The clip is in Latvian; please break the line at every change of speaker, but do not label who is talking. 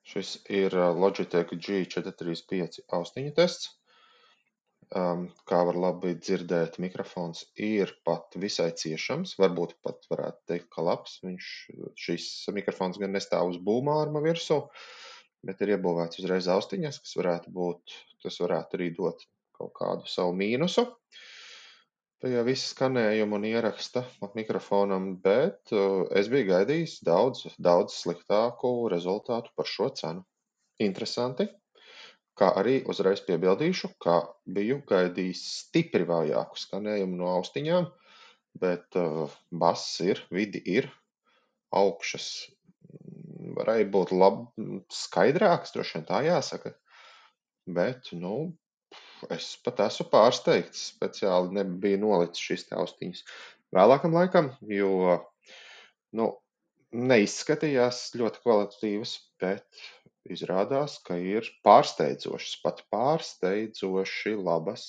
Šis ir Logitech G435 austiņu tests. Kā var labi dzirdēt, mikrofons ir pat visai ciešams, varbūt pat varētu teikt, ka labs. Šis mikrofons gan nestāv uz būmārma virsū, bet ir iebūvēts uzreiz austiņas, tas varētu arī dot kaut kādu savu mīnusu pie visa skanējuma un ieraksta mikrofonam, bet es biju gaidījis daudz sliktāku rezultātu par šo cenu. Interesanti, kā arī uzreiz piebildīšu, ka biju gaidījis stipri vājāku skanējumu no austiņām, bet bass ir, vidi ir, augšas varēja būt skaidrāks, droši vien tā jāsaka, bet, es pat esmu pārsteigts, speciāli nebija nolicis šīs te austiņas vēlākam laikam, jo, neizskatījās ļoti kvalitatīvas, bet izrādās, ka ir pārsteidzošas, pat pārsteidzoši labas.